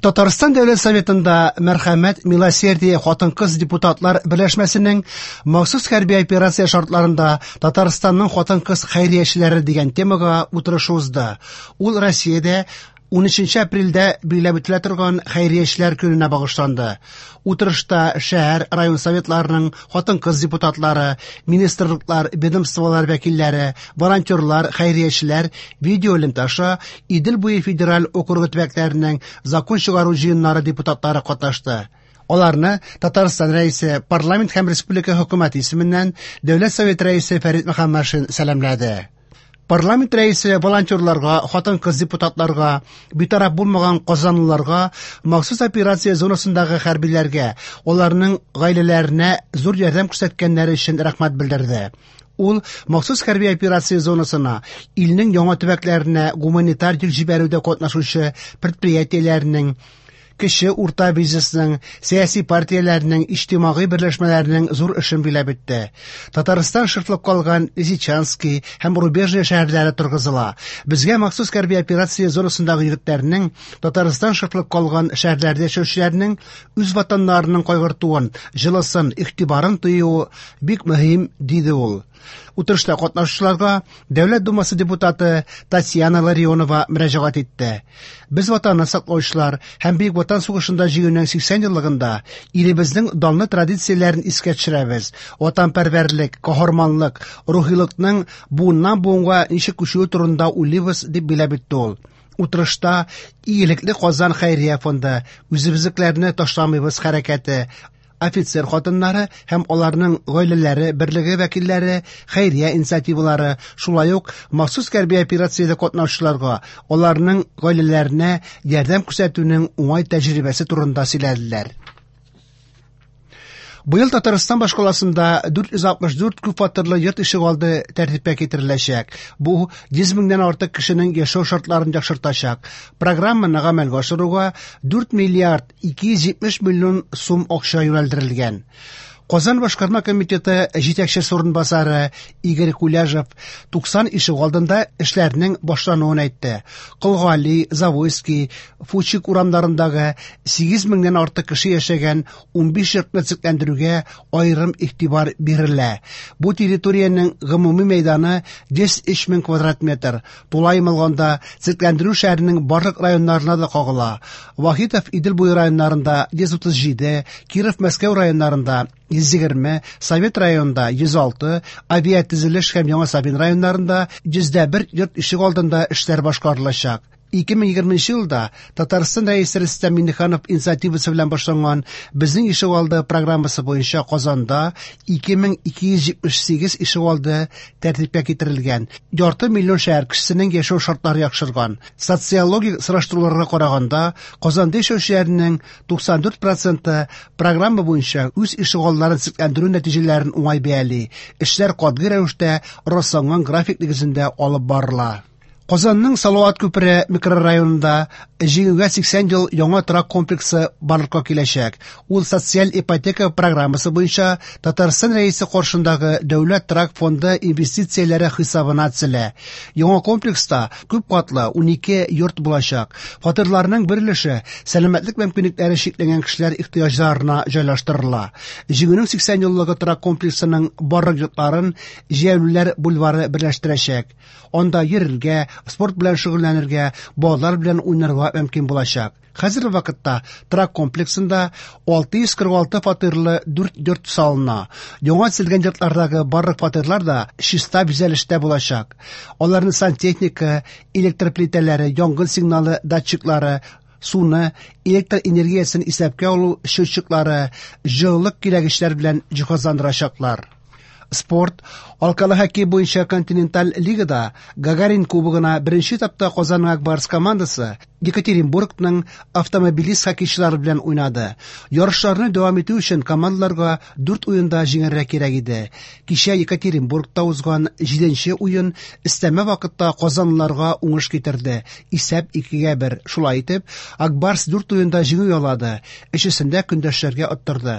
Татарстан Дәүләт Советында Мәрхәмәт Милосердие хатын-кыз депутатлар берләшмәсенең махсус хәрби операция шартларында Татарстанның хатын-кыз хәйриячеләре дигән темага утырышы узды. Ул Россиядә 13 апрельдә билгеләп үтелә торган Хәйриячеләр көненә багышланды. Утырышта шәһәр, район советларының хатын-кыз депутатлары, министрлыклар, ведомстволар вәкилләре, волонтерлар, хәйриячеләр, видеоэлемтә аша Идел буе федераль округы төбәкләренең закон чыгару җыеннары депутатлары катнашты. Аларны Татарстан Рәисе, парламент һәм республика хөкүмәте исеменнән Дәүләт Советы Рәисе Фәрит Мөхәммәтшин сәламләде. Парламент рәисе волонтерларга, хатын-кыз депутатларга, битараф булмаган казанлыларга, махсус операция зонасындагы хәрбиләргә, аларның гаиләләренә зур ярдәм күрсәткәннәре өчен рәхмәт белдерде. Ул махсус хәрби операция зонасына, илнең яңа төбәкләренә гуманитар йөк җибәрүдә катнашучы предприятиеләрнең, кече урта бизнесның, сәяси партияләрнең, иҗтимагый берләшмәләрнең зур эшен биләп үтте. Татарстан шыртлып калган Лисичанский һәм Рубежное шәһәрләре торгызыла. Безгә махсус хәрби операция зонасындагы егетләрнең, Татарстан шыртлып калган шәһәрләрдә яшәүчеләрнең үз ватаннарының кайгыртуын, җылысын, игътибарын тоюы бик мөһим, диде ул. Утырышта катнашучыларга Дәүләт Думасы депутаты Татьяна Ларионова мөрәҗәгать итте. Без ватанны саклаучылар һәм Бөек Ватан сугышында җиңүнең 80 еллыгында илебезнең данлы традицияләрен искә төшерәбез. Ватанпәрвәрлек, каһарманлык, рухилыкның буыннан буынга ничек күчүе турында уйлыйбыз, дип биләп үтте ул. Утырышта Игелекле Казан хәйрия фонды, Үзебезнекеләрне ташламыйбыз хәрәкәте, офицер хатыннары һәм аларның гаиләләре берлеге вәкилләре, хәйрия инициативалары, шулай ук махсус хәрби операциядә катнашучыларга, аларның гаиләләренә ярдәм күрсәтүнең уңай тәҗрибәсе турында сөйләделәр. Быел Татарстан башкаласында 464 күпфатирлы йорт ишегалды тәртипкә китереләчәк. Бу 100 меңнән артык кешенең яшәү шартларын яхшыртачак. Программаны гамәлгә ашыруга 4 миллиард 270 миллион сум акча юнәлдерелгән. Казан башкарма комитеты җитәкчесе урынбасары Игорь Куляжев 90 ишегалдында эшләрнең башлануын әйтте. Колгали, Завойский, Фучик урамнарындагы 8 меңнән артык кеше яшәгән 15 йортны төзекләндерүгә аерым игътибар бирелә. Бу территориянең гомуми мәйданы 103 мең квадрат метр. Тулаем алганда, төзекләндерү шәһәрнең барлык районнарына да кагыла. Вахитов Идел буе районнарында 137, Киров Мәскәү районнарында 120, Совет районында 106, Авиатөзелеш һәм Яңа Савин районнарында 101 йорт ишегалдында эшләр башкарылачак. 2020 елда Татарстан Рәисе Рөстәм Миңнеханов инициативасы белән башланган Безнең ишегалды программасы буенча Казанда 2278 ишегалды тәртипкә китерелгән. Ярты миллион шәһәр кешесенең яшәү шартлары яхшырган. Социологик сораштыруларга караганда, Казанда яшәүчеләрнең 94 проценты программа буенча үз ишегалларын төзекләндерү нәтиҗәләрен уңай бәяли. Эшләр катгый рәвештә расланган график нигезендә алып барыла. Казанның Салават күпере микрорайонында Җиңүгә 80 ел яңа торак комплексы барлыкка киләчәк. Ул социаль ипотека программасы буенча Татарстан Рәисе каршындагы Дәүләт торак фонды инвестицияләре хисабына төзелә. Яңа комплекста күп катлы 12 йорт булачак. Фатирларның бер өлеше сәламәтлек мөмкинлекләре чикләнгән кешеләр ихтыяҗларына җайлаштырыла. Җиңүнең 80 еллыгы торак комплексының барлык йортларын Җәяүлеләр бульвары берләштерәчәк. Анда йөрергә, спорт белән шөгыльләнергә, балалар белән уйнарга мөмкин булачак. Хәзерге вакытта торак комплексында 646 фатирлы 4 йорт салына. Яңа төзелгән йортлардагы барлык фатирлар да чиста бизәлештә булачак. Аларны сантехника, электр плитәләре, янгын сигналы датчиклары, суны, электр энергиясен исәпкә алу счетчиклары, җылылык кирәгечләр белән җиһазландырачаклар. Спорт, алкалы хоккей буенча континенталь лигада Гагарин кубогына беренче этапта Казанның Ак Барс командасы Екатеринбургның автомобилист хоккейчылары белән уйнады. Ярышларны дәвам итү өчен командаларга 4 уенда җиңәргә кирәк иде. Кичә Екатеринбургта узган 7нче уен өстәмә вакытта казанлыларга уңыш китерде. Исәп 2-1. Шулай итеп, Ак Барс 4 уенда җиңү яулады, өчесендә көндәшләргә оттырды.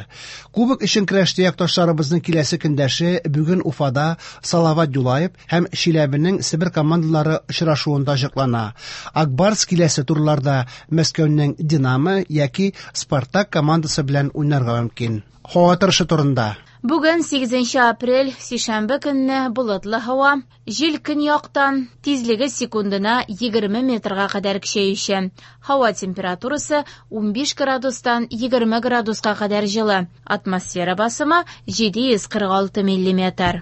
Кубок өчен көрәштә якташларыбызның киләсе көндәше бүген Уфада Салават Юлаев һәм Чиләбенең Себер командалары очрашуында ачыклана. Ак Барс киләсе турларда Мәскәүнең Динамо яки Спартак командасы белән уйнарга мөмкин. Һава торышы турында. Бүген 8 апрель, сишәмбе көнне болытлы һава, җил көньяктан, тизлеге секундына 20 метрга кадәр көчәючән. Һава температурасы 15 градустан 20 градуска кадәр җылы. Атмосфера басымы 746 миллиметр.